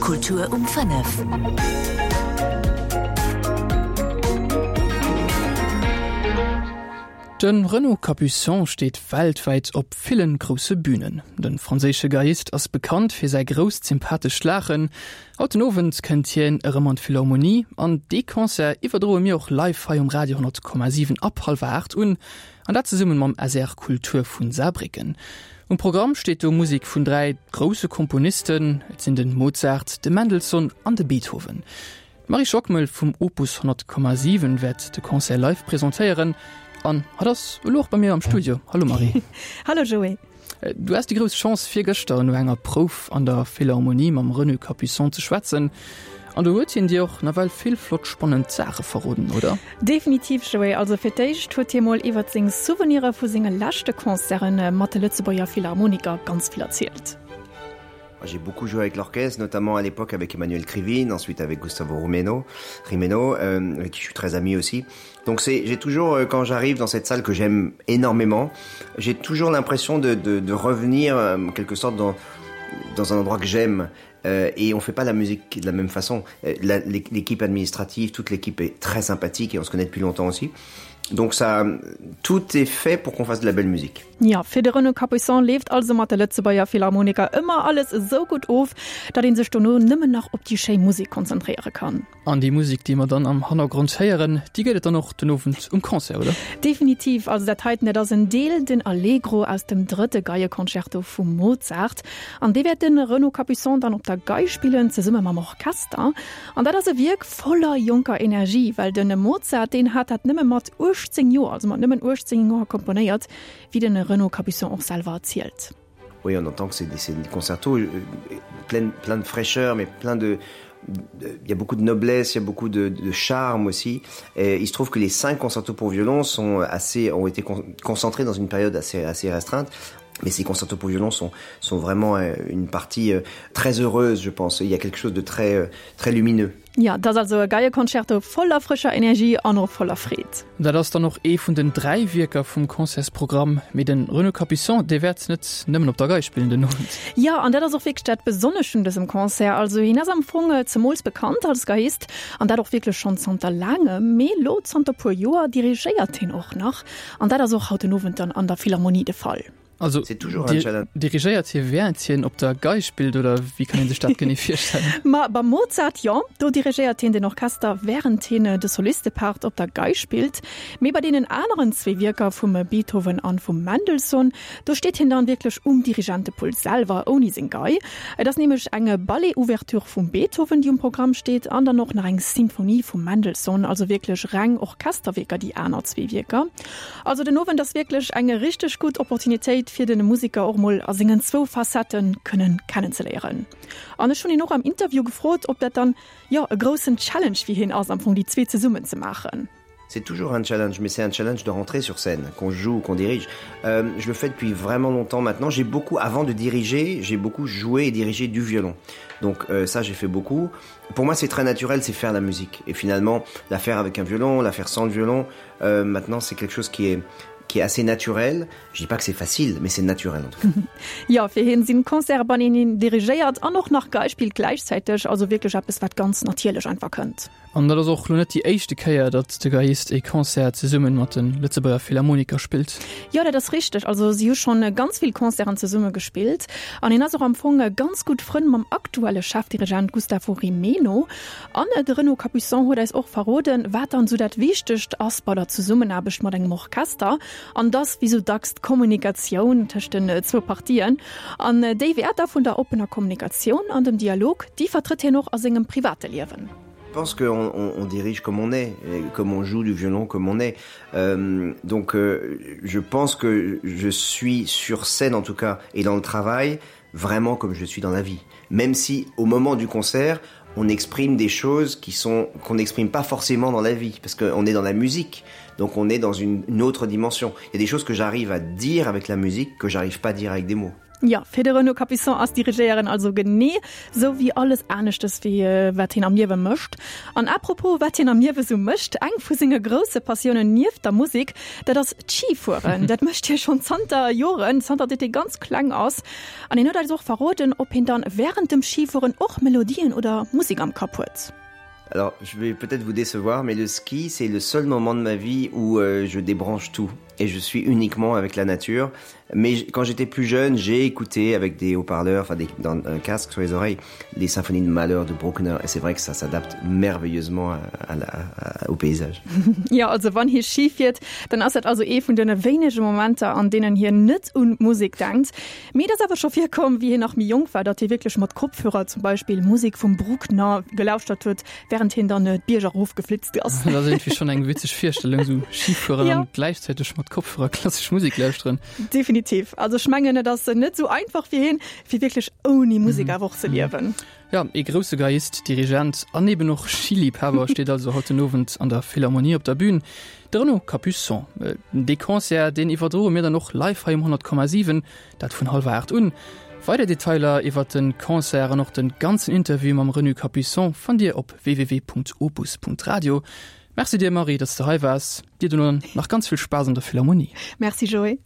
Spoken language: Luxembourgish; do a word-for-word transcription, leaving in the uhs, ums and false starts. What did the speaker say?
Kultur um fënnef. De Renaud Capuçon steet weltwäit op villen grousse Bünen. De franséische Geiist ass bekannt fir säi grousst sympathescht Laachen. Haut den Owend kënnt hien erëm an d'Philharmonie an dee Concert iwwerdroe mir och live hei um Radio honnert Komma siwen ab hallwer aacht un, an dat zesumme mam S R Kultur vun Saarbrécken. Um Programm steet do Musek vun dräi grousse Komponisten, et sinn de Mozart, de Mendelssohn an de Beethoven. D'Marie Schockmel vum Opus honnert Komma siwen wäert de Concert live presentéieren an hatt ass elo och bei mir am Studio. Hallo Marie. Hallo Joé. Du has déi grouss Chance virgëschter no enger Prouf an der Philharmonie mam Renaud Capuçon ze schwätzen. An do huet hien dir och nawell vill flott spannend Saache verroden, oder? Definitiv Joé. Also fir d'éischt huet hie mol iwwer seng Souvenire vu senge leschte Concerte mat de Lëtzebuerger Philharmoniker ganz vill erzielt. J'ai beaucoup joué avec l'orchestre, notamment à l'époque avec Emmanuel Krivine, ensuite avec Gustavo Rumeno, Rimeno, euh, avec qui je suis très ami aussi. Donc c'est, j'ai toujours, euh, quand j'arrive dans cette salle que j'aime énormément, j'ai toujours l'impression de, de, de revenir, euh, en quelque sorte dans, dans un endroit que j'aime. Euh, et on fait pas la musique de la même façon. Euh, la, l'équipe administrative, toute l'équipe est très sympathique et on se connaît depuis longtemps aussi. Donc ça, tout est fait pour qu'on fasse de la belle musique. Ja, fir de Renaud Capuçon leeft also mat de Lëtzebuerger Philharmoniker ëmmer alles esou gutt of, datt ee sech dono nëmmen nach op déi schéi Musek konzentréiere kann. An déi Musek, déi mer dann am Hannergrond héieren, déi gëtt et dann och den Owend um Concert, oder? Definitiv, also dat heiten, dat ass en Deel, den Allegro aus dem drëtte Geieconcerto vum Mozart. An dee wäert de Renaud Capuçon dann op der Gei spillen, zesumme mam Orchester. An dat ass e Wierk voller jonker Energie, well de Mozart, deen hat dat nëmme mat uechtzéng Joer, also mat nëmmen uechtzéng Joer komponéiert, wéi de Renaud Capuçon och selwer erzielt. Oui, on entend que c'est des, c'est des concertos, euh, plein, plein de fraîcheur, mais plein de, de, il y a beaucoup de noblesse, il y a beaucoup de, de charme aussi. Et il se trouve que les cinq concertos pour violon sont assez, ont été con-, concentrés dans une période assez, assez restreinte. Mais ces concertos pour violon sont, sont vraiment, euh, une partie, euh, très heureuse, je pense. Il y a quelque chose de très, euh, très lumineux. Ja, dat ass also e Geieconcerto voller frëscher Energie an och voller Freed. Dat ass dann och ee vun den dräi Wierker vum Concertsprogramm, mee de Renaud Capuçon, dee wäert net nëmmen op der Gei spillen den Owend. Ja, an dat ass och wierklech dat Besonnescht un dësem Concert. Also hien ass am Fong zemools bekannt als Geiist an dat och wierklech schonn zanter laangem, mee lo zanter puer Joer dirigéiert hien och nach. An dat ass och haut den Owend dann an der Philharmonie de Fall. Also, C'est toujours un di- challenge. dirigéiert hie während hien op der Gei spillt, oder wéi kann een sech dat genee virstellen? Ma beim Mozart, jo, do dirigéiert hien den Orchester, während hien de Solistepart op der Gei spillt. Mee bei deenen aneren zwee Wierker vum Beethoven an vum Mendelssohn, do steet hien dann wierklech um Dirigentepult selwer, ouni seng Gei. Et ass nämlech eng Ballet-Ouverture vum Beethoven, déi um Programm steet, an dann och nach eng Symphonie vum Mendelssohn, also wierklech reng Orchesterwierker, déi aner zwee Wierker. Also den Owend ass wierklech eng richteg gutt Opportunitéit fir de Musiker och mol a sengen zwou Facetten kënnen kennenzeléieren. An ech hunn hien och am Interview gefrot, ob dat dann, jo, e groussen Challenge fir hien ass, am Fong déi zwee zesummen ze maachen. C'est toujours un challenge, mais c'est un challenge de rentrer sur scène, qu'on joue ou qu'on dirige. Euh, je le fais depuis vraiment longtemps maintenant. J'ai beaucoup, avant de diriger, j'ai beaucoup joué et dirigé du violon. Donc, euh, ça, j'ai fait beaucoup. Pour moi, c'est très naturel, c'est faire la musique. Et finalement, la faire avec un violon, la faire sans le violon, euh, maintenant, c'est quelque chose qui est, qui est assez naturel. Je dis pas que c'est facile, mais c'est naturel en tout cas. Ja, fir hien sinn Concerte, bei deenen hien dirigéiert an och nach Gei spillt gläichzäiteg, also wierklech eppes, wat ganz natierlech einfach kënnt. An dat ass och lo net déi éischte Kéier, datt de Geiist e Concert zesumme mat de Lëtzebuerger Philharmoniker spillt. Jo, dat ass richteg. Also si hu schonn ganz vill Concerten zesumme gespillt. An hien ass och am Fong ganz gutt Frënn mam aktuelle Chefdirigent Gustavo Rimeno. An de Renaud Capuçon huet eis och verroden, wat dann sou dat Wichtegst ass bei der Zesummenaarbecht mat engem Orchester. An dass, wéi sou dacks, d'Kommunikatioun tëscht den zwou Partien. An déi Wäerter vun der oppener Kommunikatioun an dem Dialog, déi vertrëtt hien och a sengem private Liewen. Je pense qu'on, on, on dirige comme on est, et comme on joue du violon comme on est. Euh, donc, euh, je pense que je suis sur scène en tout cas et dans le travail vraiment comme je suis dans la vie. Même si au moment du concert, on exprime des choses qui sont, qu'on n'exprime pas forcément dans la vie, parce qu'on est dans la musique, donc on est dans une, une autre dimension. Il y a des choses que j'arrive à dire avec la musique que j'arrive pas à dire avec des mots. Ja, fir de Renaud Capuçon ass Dirigéieren also genee sou wéi alles aneschtes wéi äh, wat hien am Liewe mécht. An apropos wat hien am Liewe sou mécht, eng vu senge grousse Passiounen nieft der Musek, dat ass d'Schifueren. Dat mécht hie schonn zanter Joren, zanter datt hie ganz kleng ass. An hien huet eis och verroden, ob hien dann wärend dem Schifueren och Melodien oder Musek am Kapp huet. Alors, je vais peut-être vous décevoir, mais le ski, c'est le seul moment de ma vie où euh, je débranche tout et je suis uniquement avec la nature. Mais quand j'étais plus jeune, j'ai écouté avec des haut-parleurs, enfin des, dans un casque sur les oreilles, les symphonies de Mahler de Bruckner et c'est vrai que ça s'adapte merveilleusement à, à la, à, au paysage. Ja, also wann hie Schi fiert, dann ass dat also ee vun de wéinege Momenter, an deenen hien net un Musek denkt. Mee et ass awer scho virkomm, wéi hien nach méi jonk war, datt hie wierklech mat Kopfhörer zum Beispill Musek vum Bruckner gelauschtert huet, wärend hien dann d'Bierger erofgeflitzt ass. Dat ass iergendwéi schonn eng witzeg Virstellung, sou Schifueren ja. an gläichzäiteg mat Kopfhörer klassesch Musek lauschteren. Definitiv. Also ech mengen, et ass net sou einfach fir hien, fir wierklech ouni Musek mhm. awer och ze liewen. Ja, ee grousse Geiist, Dirigent an eben och Schiliebhaber steet also haut den Owend an der Philharmonie op der Bühn. De Renaud Capuçon. Äh, dee Concert, deen iwwerdroe mir dann och live hei um honnert Komma siwen, dat vun hallwer aacht un. Weider Detailer iwwer de Concert an och de ganzen Interview mam Renaud Capuçon fannt Dir op www.opus.radio. Merci dir Marie, dass du hei waars. Dir dono nach ganz vill Spaass an der Philharmonie. Merci Joé.